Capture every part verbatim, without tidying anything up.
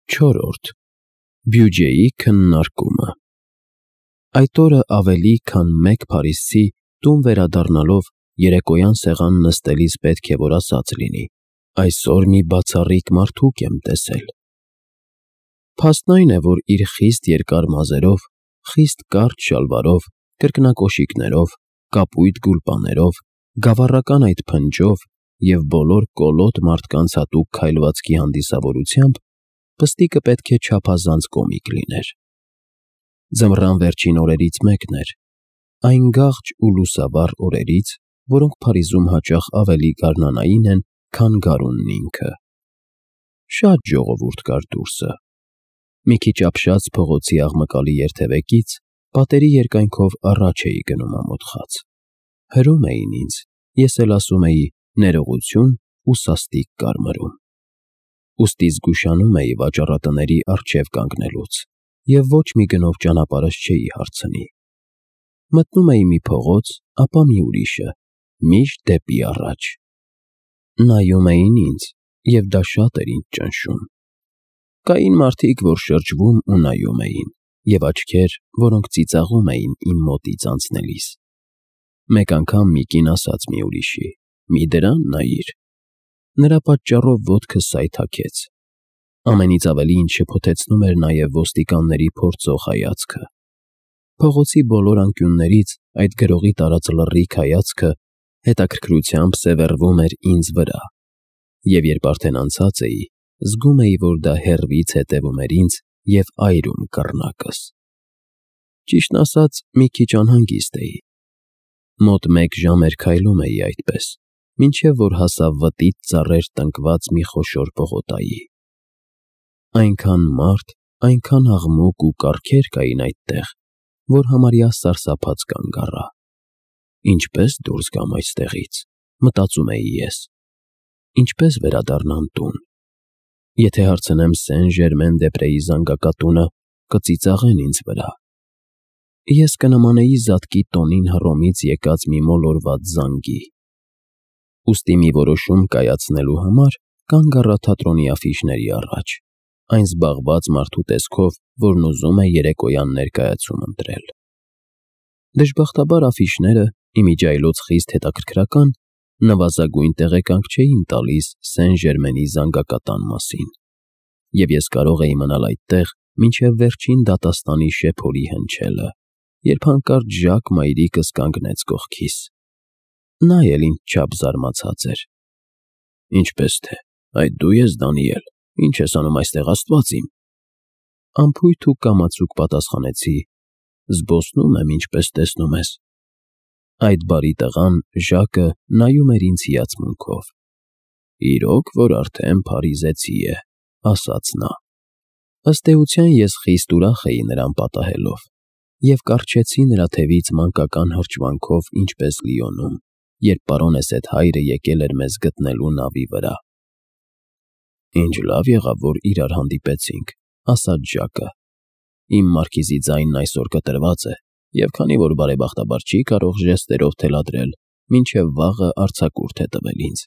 Չորրորդ. Բյուջեի քննարկումը։ Այդ օրը ավելի քան մեկ փարիզցի տուն վերադառնալով երեկոյան սեղան նստելիս պետք է որ ասած լինի. «Այսօր մի բացառիկ մարդուկ եմ տեսել»։ Փաստն այն է, որ իր խիստ երկար մազերով, խիստ կարճ շալվարով, կրկնակոշիկներով, կապույտ գուլպաներով, գավառական այդ փնջով և բոլոր կոլոտ մարդկանց հատուկ քայլվածքի հանդիսավորությամբ պստիկը պետք է չափազանց կոմիկ լիներ։ Ձմռան վերջին օրերից մեկն էր, այն գաղջ ու լուսավառ օրերից, որոնք Փարիզում հաճախ ավելի գարնանային են, քան գարունն ինքը։ Շատ ժողովուրդ կար դուրսը։ Մի քիչ ապշած փողոցի աղմկալի երթևեկից պատերի երկայնքով առաջ էի գնում ամոթխած։ Հրում էին ինձ, ես էլ ասում էի՝ ներողություն ու սաստիկ կարմրում։ Ուստի զգուշանում էի վաճառատների առջև կանգնելուց և ոչ մի գնով ճանապարհս չէի հարցնի։ Մտնում էի մի փողոց, ապա մի ուրիշը, միշտ դեպի առաջ։ Նայում էին ինձ, և դա շատ էր ինձ ճնշում։ Կային մարդիկ, որ շրջվում ու նայում էին, և աչքեր, որոնք ծիծաղում էին իմ մոտից անցնելիս։ Մեկ անգամ մի կին ասաց մի ուրիշի. «Մի դրան նայիր»։ Նրա պատճառով ոտքս սայթաքեց։ Ամենից ավելի ինձ շփոթեցնում էր նաև ոստիկանների փորձող հայացքը։ Փողոցի բոլոր անկյուններից այդ գրողի տարած լռիկ հայացքը հետաքրքրությամբ սևեռվում էր ինձ վրա, և երբ արդեն անցած էի, զգում էի, որ դա հեռվից հետևում էր ինձ և այրում կռնակս։ Ճիշտն ասած, մի քիչ անհանգիստ էի։ Մոտ մեկ ժամ էր քայլում էի այդպես, մինչև որ հասա վտիտ ծառեր տնկված մի խոշոր պողոտայի։ Այնքան մարդ, այնքան աղմուկ ու կառքեր կային այդտեղ, որ համարյա սարսափած կանգ առա։ Ինչպե՞ս դուրս գամ այստեղից, մտածում էի ես։ Ինչպե՞ս վերադառնամ տուն։ Եթե հարցնեմ Սեն֊Ժերմեն֊դե֊Պրեի զանգակատունը, կծիծաղեն ինձ վրա։ Ես կնմանեի զատկի տոնին Հռոմից եկած մի մոլորված զանգի։ Ուստի մի որոշում կայացնելու համար կանգ առա թատրոնի աֆիշների առաջ, այն զբաղված մարդու տեսքով, որն ուզում է երեկոյան ներկայացում ընտրել։ Դժբախտաբար աֆիշները, իմիջիայլոց խիստ հետաքրքրական, նվազագույն տեղեկանք չէին տալիս Սեն֊Ժերմենի զանգակատան մասին, և ես կարող էի մնալ այդտեղ մինչև վերջին դատաստանի շեփորի հնչելը, երբ հանկարծ Ժակ մայրիկս կանգնեց կողքիս։ Նա էլ ինձ չափ զարմացած էր։ «Ինչպե՞ս թե, այդ դու ես, Դանիել, ինչ ես անում այստեղ, աստված իմ»։ Անփույթ ու կամացուկ պատասխանեցի. «Զբոսնում եմ, ինչպես տեսնում ես»։ Այդ բարի տղան՝ Ժակը, նայում էր ինձ հիացմունքով։ «Իրոք որ արդեն փարիզեցի է», ասաց նա։ Ըստ էության ես խիստ ուրախ էի նրան պատահելով և կառչեցի նրա թևից մանկական հրճվանքով ինչպես Լիոնում, երբ պարոնես էդ հայրը եկել էր մեզ գտնելու նավի վրա։ «Ինչ լավ եղավ, որ իրար հանդիպեցինք», ասաց Ժակը։ «Իմ մարքիզի ձայնն այսօր կտրված է, և քանի որ բարեբախտաբար չի կարող ժեստերով թելադրել, մինչև վաղը արձակուրդ է տվել ինձ։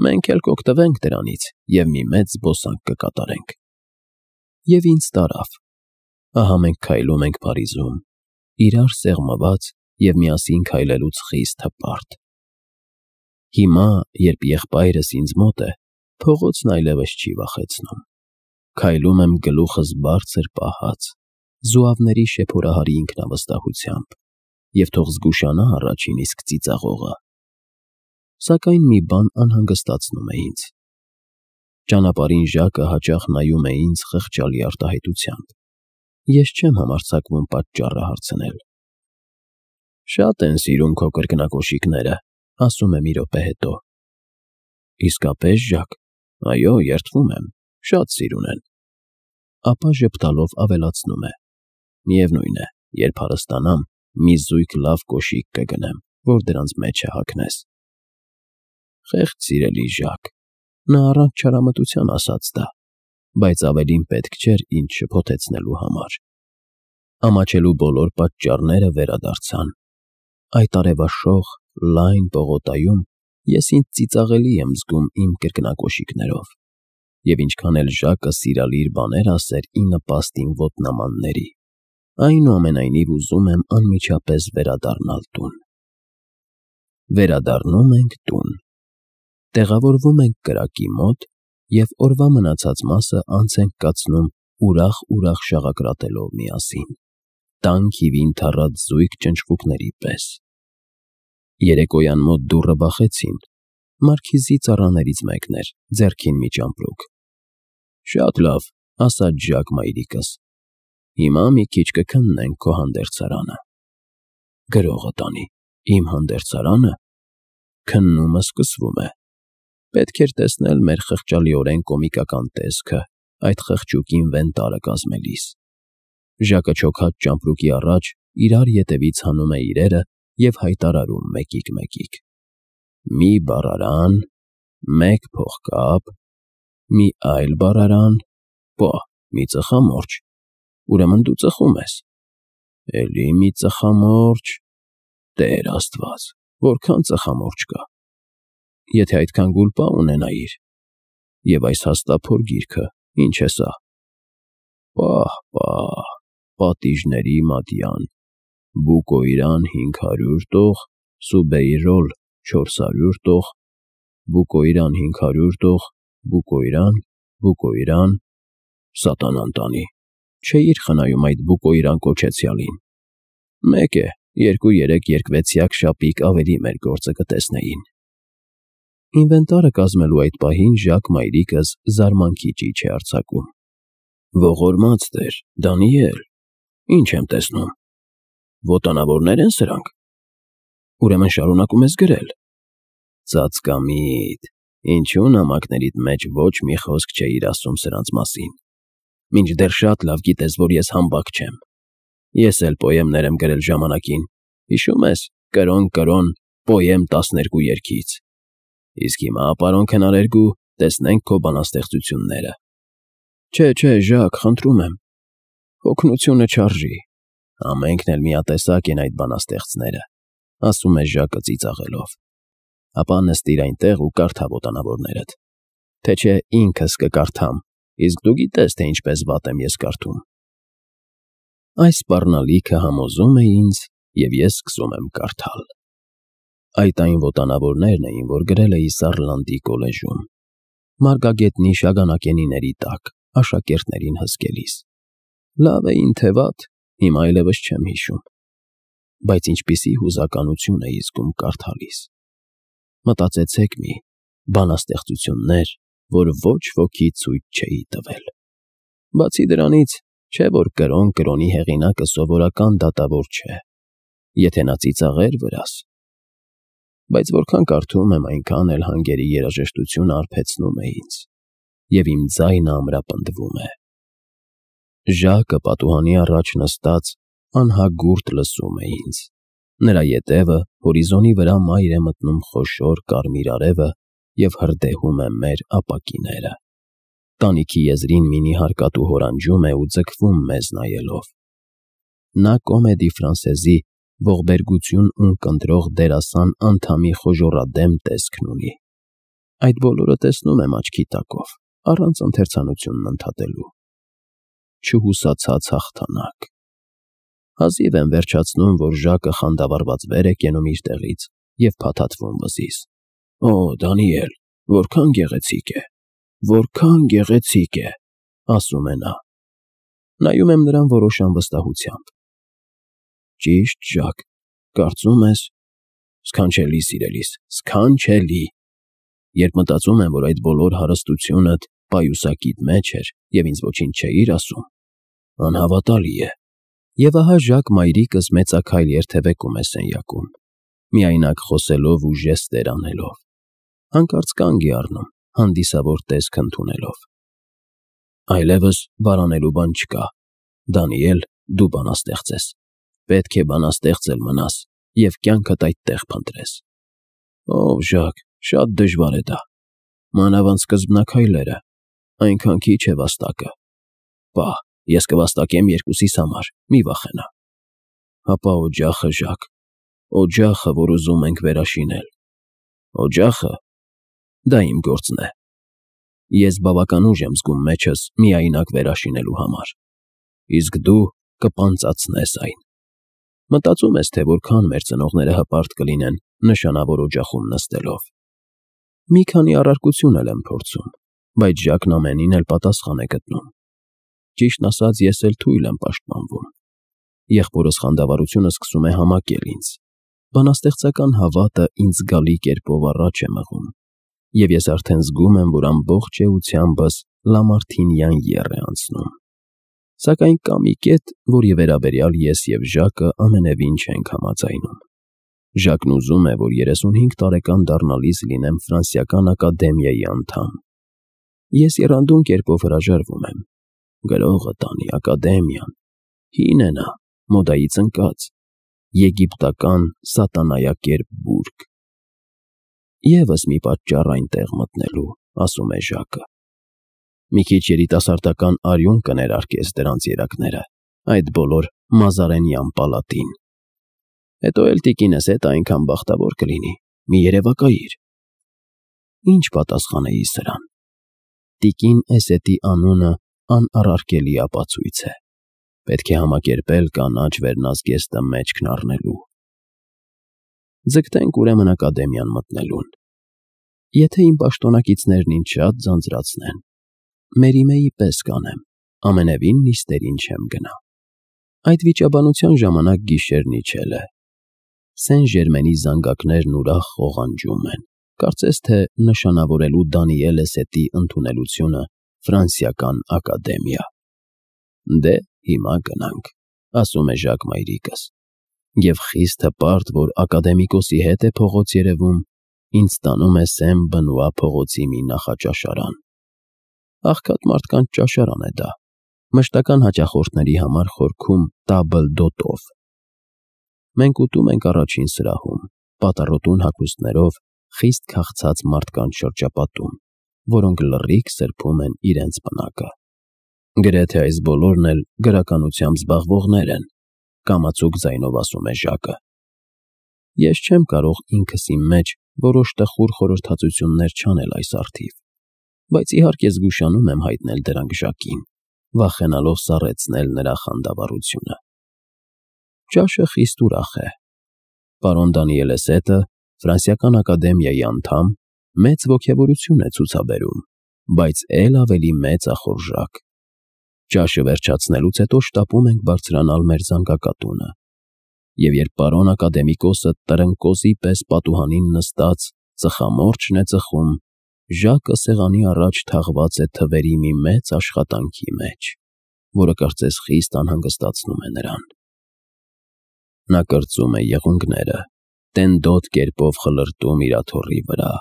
Մենք էլ կօգտվենք դրանից և մի մեծ զբոսանք կկատարենք»։ Եվ ինձ տարավ։ Ահա մենք քայլում ենք Փարիզում, իրար սեղմված և միասին քայլելուց խիստ հպարտ։ Հիմա, երբ եղբայրս ինձ մոտ է, փողոցն այլևս չի վախեցնում։ Քայլում եմ գլուխս բարձր պահած, զուավների շեփորահարի ինքնավստահությամբ, և թող զգուշանա առաջին իսկ ծիծաղողը։ Սակայն մի բան անհանգստացնում է ինձ։ Ճանապարհին Ժակը հաճախ նայում է ինձ խղճալի արտահայտությամբ։ Ես չեմ համարձակվում պատճառը հարցնել։ «Շատ են սիրում քո կրկնակոշիկները», ասում է մի րոպե հետո։ «Իսկապե՞ս, Ժակ»։ «Այո, երդվում եմ, շատ սիրուն են»։ Ապա ժպտալով ավելացնում է. «Միևնույն է, երբ հարստանամ, մի զույգ լավ կոշիկ կգնեմ, որ դրանց մեջը հագնես»։ Խեղճ սիրելի Ժակ։ Նա առանց չարամտության ասաց դա, բայց ավելին պետք չէր ինձ շփոթեցնելու համար։ Ամաչելու բոլոր պատճառները վերադարձան։ Այդ արևաշող, լայն պողոտայում ես ինձ ծիծաղելի եմ զգում իմ կրկնակոշիկներով, և ինչքան էլ Ժակը սիրալիր բաներ ասեր ի նպաստին ոտնամանների, այնուամենայնիվ ուզում եմ անմիջապես վերադառնալ տուն։ Վերադառնում ենք տուն։ Տեղավորվում ենք կրակի մոտ և օրվա մնացած մասը անց ենք կացնում ուրախ-ուրախ շաղակրատելով միասին, տանկ հիվին թառած զույգ ճնճղուկների պես։ Երեկոյան մոտ դուռը բախեցին, Մարքիզի ծառաներից մեկն էր, ձեռքին մի ճամպրուկ։ «Շատ լավ», ասաց Ժակ մայրիկս, «հիմա մի քիչ կքննենք քո հանդերձարանը»։ Գրողը տանի, իմ հանդերձարանը։ Քննումը սկսվում է։ Պետք էր տեսնել մեր խղճալիորեն կոմիկական տեսքը այդ խղճուկին վեն տարը կազմելիս։ Ժակը չոքած ճամպրուկի առաջ իրար ետևից հանում է իրերը և հայտարարում մեկիկ֊մեկիկ. «Մի բառարան, մեկ փողկապ, մի այլ բառարան, պա, մի ծխամորճ, ուրեմն դու ծխում ես, էլի մի ծխամորճ, Տեր Աստված, որքան ծխամորճ կա, եթե այդքան գուլպա ունենայիր, և այս հաստափոր գիրքը, ինչ է սա, պահ֊պահ, պատիժների մատյան, Բուկոյրան հինգ հարյուր տող, Սուբեյրոլ չորս հարյուր տող, Բուկոյրան հինգ հարյուր տող, Բուկոյրան, Բուկոյրան, սատանան տանի, չէիր խնայում այդ Բուկոյրան կոչեցյալին, մեկ է, երկու-երեք երկվեցյակ շապիկ ավելի մեր գործը կտեսնեին»։ Ինվենտարը կազմելու այդ պահին Ժակ մայրիկս զարմանքի ճիչ է արձակում. «Ողորմած Տեր, Դանիել, ինչ եմ տեսնում, ոտանավորնե՞ր են սրանք, ուրեմն շարունակում ես գրել»։ Ծածկամիտ, ինչու նամակներիդ մեջ ոչ մի խոսք չէիր ասում սրանց մասին, մինչդեռ շատ լավ գիտես, որ ես համբակ չեմ։ Ես էլ պոեմներ եմ գրել ժամանակին, հիշում ես, կրոն֊կրոն, պոեմ տասներկու երգից։ Իսկ հիմա, պարոն քնարերգու, տեսնենք քո բանաստեղծությունները։ Չէ, չէ, Ժակ, խնդրում եմ, օգնությունը չարժի, ամենքն էլ միատեսակ են այդ բանաստեղծները, ասում է Ժակը ծիծաղելով։ Ապա նստիր այնտեղ ու կարդա ոտանավորներդ, թե չէ ինքս կկարդամ, իսկ դու գիտես, թե ինչպես վատ եմ ես կարդում։ Այս սպառնալիքը համոզում է ինձ, և ես սկսում եմ կարդալ։ Այդ այն ոտանավորներն էին, որ գրել էի Սառլանդի կոլեժում, Մարգագետնի շագանակենիների տակ, աշակերտներին հսկելիս։ Լավ էին, թե վատ, հիմա այլևս չեմ հիշում, բայց ինչպիսի հուզականություն էի զգում կարդալիս։ Մտածեցեք մի, բանաստեղծություններ, որ ոչ ոքի ցույց չէի տվել։ Բացի դրանից, չէ որ կրոն֊կրոնի հեղինակը սովորական դատավոր չէ, եթե նա ծիծաղեր վրաս։ Բայց որքան կարդում եմ, այնքան էլ հանգերի երաժշտությունը արբեցնում է ինձ, և իմ ձայնը ամրապնդվում է։ Ժակը պատուհանի առաջ նստած անհագուրդ լսում է ինձ, նրա ետևը հորիզոնի վրա մայր է մտնում խոշոր կարմիր արևը և հրդեհում է մեր ապակիները։ Տանիքի եզրին մի նիհար կատու հորանջում է ու ձգվում մեզ նայելով։ Նա Կոմեդի Ֆրանսեզի ողբերգություն ունկնդրող դերասան անդամի խոժոռադեմ տեսքն ունի։ Այդ բոլորը տեսնում եմ աչքի տակով, առանց ընթերցանությունն ընդհատելու։ Չհուսացած հաղթանակ։ Հազիվ եմ վերջացնում, որ Ժակը խանդավառված վեր է կենում իր տեղից և փաթաթվում վզից։ Օ, Դանիել, որքան գեղեցիկ է, որքան գեղեցիկ է, ասում է նա։ Նայում եմ նրան որոշ անվստահությամբ։ Ճիշտ, Ժակ, կարծում ես, սքանչելի սիրելիս, սքանչելի։ Երբ մտածում եմ, որ այդ բոլոր հարստությունդ պայուսակիդ մեջ էր և ինձ ոչինչ չէիր ասում, անհավատալի է։ Եվ ահա Ժակ մայրիկս մեծաքայլ երթևեկում է սենյակում, միայնակ խոսելով ու ժեստեր անելով, հանկարծ կանգ է առնում, հանդիսավոր տեսք ընդունելով։ Այլևս վարանելու բան չկա, Դանիել, դու բանաստեղծ ես, պետք է բանաստեղծ էլ մնաս և կյանքդ այդտեղ փնտրես։ Ով Ժակ, շատ դժվար է դա, մանավանդ սկզբնաքայլերը, այնքան քիչ է վաստակը։ Պահ, ես կվաստակեմ երկուսիս համար, մի վախենա։ Հապա օջախը, Ժակ, օջախը, որ ուզում ենք վերաշինել։ Օջախը, դա իմ գործն է։ Ես բավական ուժ եմ զգում մեջս միայնակ վերաշինելու համար, իսկ դու կպանծացնես այն։ Մտածում ես, թե որքան մեր ծնողները հպարտ կլինեն նշանավոր օջախում նստելով։ Մի քանի առարկություն էլ եմ փորձում, բայց Ժակն ամենին էլ պատասխան է գտնում։ Ճիշտն ասած, ես էլ թույլ եմ պաշտպանվում։ Եղբորս խանդավառությունը սկսում է համակել ինձ։ Բանաստեղծական հավատը ինձ զգալի կերպով առաջ է մղում, և ես արդեն զգում եմ, որ ամբողջ էությանբս Լամարթինյան եռ է անցնում։ Սակայն կա մի կետ, որի վերաբերյալ ես և Ժակը ամենևին չենք համաձայնում։ Ժակն ուզում է, որ երեսունհինգ տարեկան դառնալիս լինեմ Ֆրանսիական ակադեմիայի անդամ։ Ես եռանդուն կերպով հրաժարվում եմ։ Գրողը տանի, ակադեմիան, հին է նա, մոդայից ընկած, եգիպտական սատանայակերպ բուրգ։ Եվս մի պատճառ այնտեղ մտնելու, ասում է Ժակը։ Մի քիչ երիտասարդական արյուն կներարկես դրանց երակները, այդ բոլոր մազարենյան պալատին։ Հետո էլ տիկինս հետ այնքան բախտավոր կլինի, մի երևակայիր։ Ինչ պատասխանեի սրան։ Տիկին Էսետի անունը անառարկելի ապացույց է։ Պետք է համակերպել կանաչ վերնազգեստը մեջքն առնելու։ Ձգտենք ուրեմն ակադեմիան մտնելուն։ Եթե իմ պաշտոնակիցներն ինձ շատ ձանձրացնեն, Մերիմեի պես կանեմ, ամենևին նիստերին չեմ գնա։ Այդ վիճաբանության ժամանակ գիշերն իջել է։ Սեն Ժերմենի զանգակներն ուրախ ղողանջում են, կարծես թե նշանավորելու Դանիել Էսետի ընդունելությունը Ֆրանսիական ակադեմիա։ Դե հիմա գնանք, ասում է Ժակ մայրիկս, և խիստ հպարտ, որ ակադեմիկոսի հետ է փողոց երևում, ինձ տանում է Սեն Բնուա փողոցի մի նախաճաշարան։ Աղքատ մարդկանց ճաշարան է դա, մշտական հաճախորդների համար խորքում տաբլ դոտով։ Մենք ուտում ենք առաջին սրահում, պատառոտուն հագուստներով խիստ քաղցած մարդկանց շրջապատում, որոնք լռիկ սրբում են իրենց պնակը։ Գրեթե այս բոլորն էլ գրականությամբ զբաղվողներ են, կամացուկ ձայնով ասում է Ժակը։ Ես չեմ կարող ինքս իմ մեջ որոշ տխուր խորհրդածություններ չանել այս առթիվ, բայց իհարկե զգուշանում եմ հայտնել դրանք Ժակին, վախենալով սառեցնել նրա խանդավառությունը։ Ճաշը խիստ ուրախ է։ Պարոն Դանիել Էսետը, Ֆրանսիական ակադեմիայի անդամ, մեծ ոգևորություն է ցուցաբերում, բայց էլ ավելի մեծ ախորժակ։ Ճաշը վերջացնելուց հետո շտապում ենք բարձրանալ մեր զանգակատունը, և երբ պարոն ակադեմիկոսը տրնկոզի պես պատուհանին նստած ծխամորճն է ծխում, Ժակը սեղանի առաջ թաղված է թվերի մի մեծ աշխատանքի մեջ, որը կարծես խիստ անհանգստացնում է նրան։ Նա կրծում է եղունգները, տենդոտ կերպով խլրտում իր աթոռի վրա,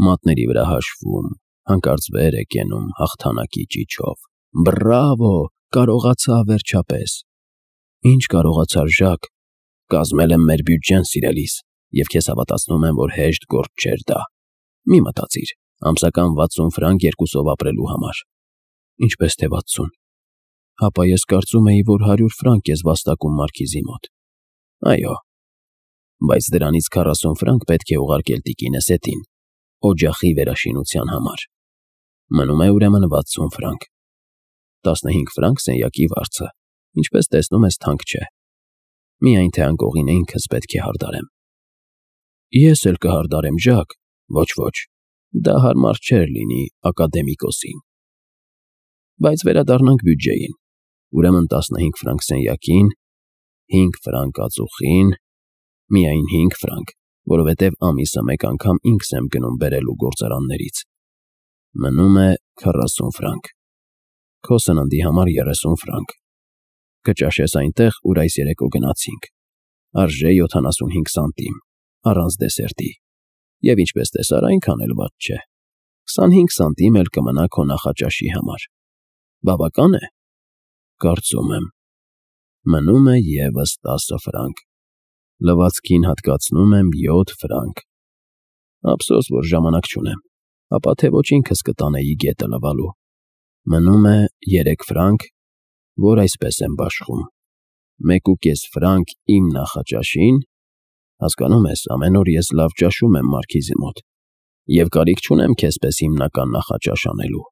մատների վրա հաշվում, հանկարծ վեր է կենում հաղթանակի ճիչով։ Բռավո, կարողացա վերջապես։ Ինչ կարողացար, Ժակ, կազմել եմ մեր բյուջեն, սիրելիս, և քեզ հավատացնում եմ, որ հեշտ գործ չէր դա։ Մի մտածիր, ամսական վաթսուն ֆրանկ երկուսով ապրելու համար։ Ինչպես թե վաթսուն։ Հապա ես կարծում էի, որ հարյուր ֆրանկ ես վաստակում մարքիզի մոտ։ Այո, բայց դրանից քառասուն ֆրանկ պետք է ուղարկել տիկին Էսետին, օջախի վերաշինության համար։ Մնում է ուրեմն վաթսուն ֆրանկ։ տասնհինգ ֆրանկ սենյակի վարձը, ինչպես տեսնում ես, թանկ չէ։ Միայն թե անկողին ինքս պետք է հարդարեմ։ Ես էլ կհարդարեմ, Ժակ, ոչ-ոչ, դա հարմար չէր լինի ակադեմիկոսին։ Բայց վերադառնանք բյուջեին, ուրեմն տասնհինգ ֆրանկ սենյակին, հինգ ֆրանկ ածուխին, միայն հինգ ֆրանկ, որովհետև ամիսը մեկ անգամ ինքս եմ գնում բերելու գործարաններից։ Մնում է քառասուն ֆրանկ, քո սննդի համար երեսուն ֆրանկ, կճաշես այնտեղ, ուր այս երեկո գնացինք, արժե յոթանասունհինգ սանտիմ, առանց դեսերտի, և ինչպես տեսար, այնքան էլ վատ չէ, քսանհինգ սանտիմ էլ կմնա քո նախաճաշի համար։ Բավական է։ Կարծում եմ։ Մնում է ևս տասը ֆրանկ, լվացքին հատկացնում եմ յոթ ֆրանկ։ Ափսոս, որ ժամանակ չունեմ, ապա թե ոչ ինքս կտանեի գետը լվալու։ Մնում է երեք ֆրանկ, որ այսպես եմ բաշխում, մեկ ու կես ֆրանկ իմ նախաճաշին, հասկանում ես, ամեն օր ես լավ ճաշում եմ մարքիզի մոտ, և կարիք չունեմ քեզ պես հիմնական նախաճաշ անելու։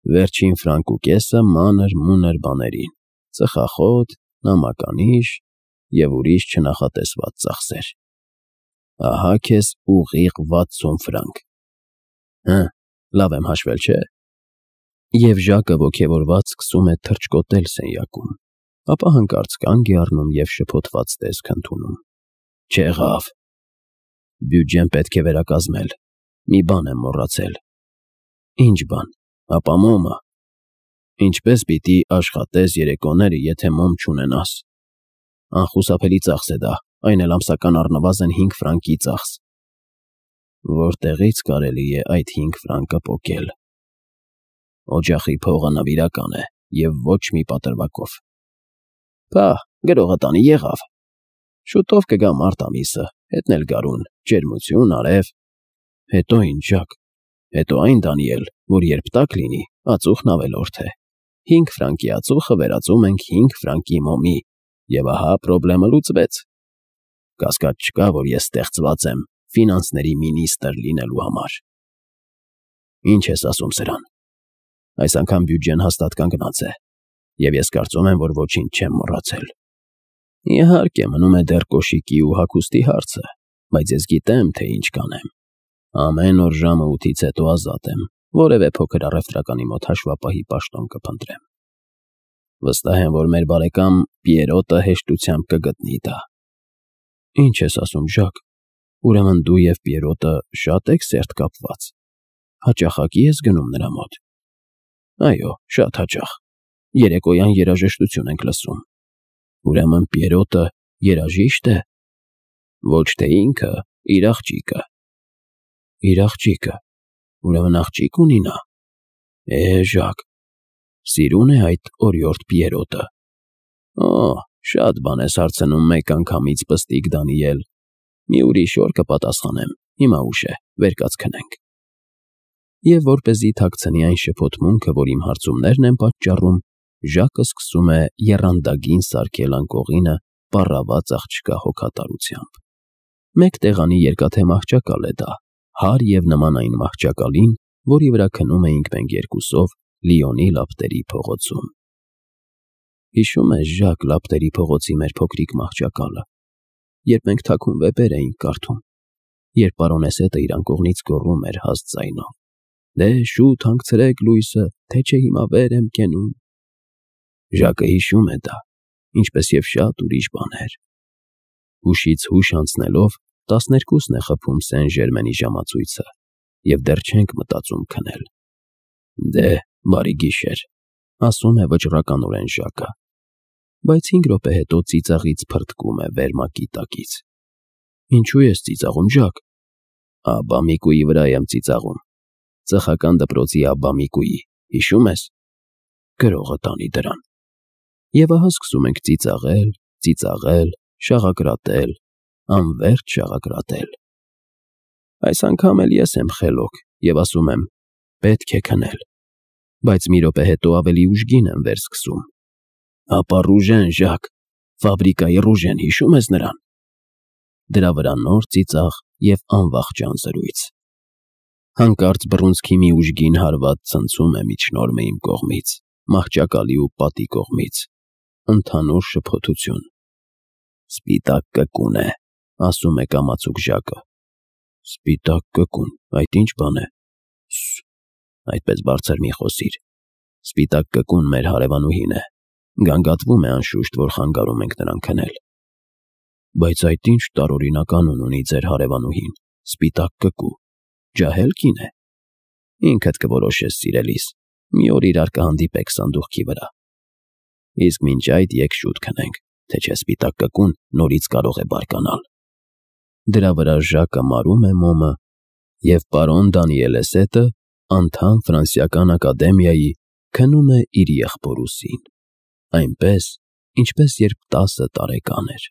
Վերջին ֆրանկ ու կեսը մանր-մունր բաներին, ծխախոտ, նամականիշ և ուրիշ չնախատեսված ծախսեր։ Ահա քեզ ուղիղ վաթսուն ֆրանկ։ Հը, լավ եմ հաշվել, չէ՞։ Եվ Ժակը ոգևորված սկսում է թռչկոտել սենյակում, ապա հանկարծ կանգ է առնում և շփոթված տեսք ընդունում։ Չեղավ։ Բյուջեն պետք է վերակազմել։ Մի բան եմ մոռացել։ Ինչ բան։ Ապա մոմը։ Ինչպես պիտի աշխատես երեկոները, եթե մոմ չունենաս։ Անխուսափելի ծախս է դա, այն էլ ամսական առնվազն հինգ ֆրանկի ծախս։ Որտեղի՞ց կարելի է այդ հինգ ֆրանկը պոկել։ Օջախի փողը նվիրական է և ոչ մի պատրվակով։ Փահ, գրողը տանի եղավ։ Շուտով կգա մարտ ամիսը, հետն էլ գարուն, ջերմություն, արև։ Հետո ինչ, Ժակ։ Հետո այն, Դանիել, որ երբ տաք լինի, ածուխն ավելորդ է։ Հինգ ֆրանկի ածուխը վերածում ենք հինգ ֆրանկի մոմի, և ահա պրոբլեմը լուծվեց։ Կասկած չկա, որ ես ստեղծված եմ ֆինանսների մինիստր լինելու համար։ Ինչ ես ասում սրան։ Այս անգամ բյուջեն հաստատ կանգնած է, և ես կարծում եմ, որ ոչինչ չեմ մոռացել։ Իհարկե, մնում է դեռ կոշիկի ու հագուստի հարցը, բայց ես գիտեմ, թե ինչ կանեմ։ Ամեն օր ժամը ութից հետո ազատ եմ, որևէ փոքր առևտրականի մոտ հաշվապահի պաշտոն կփնտրեմ։ Վստահ եմ, որ մեր բարեկամ Պիերոտը հեշտությամբ կգտնի դա։ Ինչ ես ասում, Ժակ։ Ուրեմն դու և Պիերոտը շատ եք սերտ կապված։ Հաճախակի ես գնում նրա մոտ։ Այո, շատ հաճախ։ Երեկոյան երաժշտություն ենք լսում։ Ուրեմն Պիերոտը երաժիշտ է։ Ոչ թե ինքը, իր աղջիկը։ Իր աղջիկը։ Ուրեմն աղջիկ ունի նա։ Է, Ժակ։ Սիրուն է այդ օրիորդ Պիերոտը։ Օ, շատ բան ես հարցնում մեկ անգամից, պստիկ Դանիել։ Մի ուրիշ օր կպատասխանեմ, հիմա ուշ է, վեր կաց քնենք։ Եվ որպեսզի թաքցնի այն շփոթմունքը, որ իմ հարցումներն են պատճառում, Ժակը սկսում է եռանդագին սարքել անկողինը պառաված աղջկա հոգատարությամբ։ Մեկ տեղանի երկաթե մահճակալ է դա, հարր և նման այն մահճակալին, որի վրա քնում էինք մենք երկուսով Լիոնի լապտերի փողոցում։ Հիշո՞ւմ ես, Ժակ, լապտերի փողոցի մեր փոքրիկ մահճակալը, երբ մենք թաքուն վեպեր էինք կարդում, երբ պարոնեսետը իր անկողնից գոռում էր հաստ ձայնով. «Դե շուտ հանգցրեք լույսը, թե չէ հիմա վեր եմ կենում»։ Ժակը հիշում է դա, ինչպես և շատ ուրիշ բաներ։ Հուշից հուշ անցնելով տասներկուսն է խփում Սեն Ժերմենի ժամացույցը, և դեռ չենք մտածում քնել։ Դե, բարի գիշեր, ասում է վճռականորեն Ժակը, բայց հինգ րոպե հետո ծիծաղից փրթկում է վերմակի տակից։ Ինչու ես ծիծաղում, Ժակ։ Աբամիկուի վրա եմ ծիծաղում։ Ծխական դպրոցի Աբամիկուի, հիշում ես։ Գրողը տանի դրան։ Եվ ահա սկսում ենք ծիծաղել, ծիծաղել, շաղակրատել, անվերջ շաղակրատել։ Այս անգամ էլ ես եմ խելոք և ասում եմ. պետք է քնել, բայց մի րոպե հետո ավելի ուժգին եմ վերսկսում։ Ապա Ռուժեն, Ժակ, ֆաբրիկայի Ռուժեն, հիշում ես նրան։ Դրա վրա նոր ծիծաղ և անվախճան զրույց։ Հանկարծ բռունցքի մի ուժգին հարված ցնցում է միջնորմը իմ կողմից, մահճակալի ու պատի կողմից։ Ընդհանուր շփոթություն։ Սպիտակ կկուն է, ասում է կամացուկ Ժակը։ Սպիտակ կկուն, այդ ինչ բան է։ Սս, այդպես բարձր մի խոսիր։ Սպիտակ կկուն մեր հարևանուհին է։ Գանգատվում է անշուշտ, որ խանգարում ենք նրան քնել։ Բայց այդ ինչ տարօրինակ անուն ունի ձեր հարևանուհին, սպիտակ կկու, ջահել կին է։ Ինքդ կորոշես, սիրելիս, մի օր իրար կհանդիպեք սանդուղքի վրա։ Իսկ մինչ այդ եկ շուտ քնենք, թե չէ սպիտակ կկուն նորից կարող է բարկանալ։ Դրա վրա Ժակը մարում է մոմը, և պարոն Դանիելեսետը, անդամ Ֆրանսիական ակադեմիայի, քնում է իր եղբոր ուսին, այնպես, ինչպես երբ տասը տարեկան էր։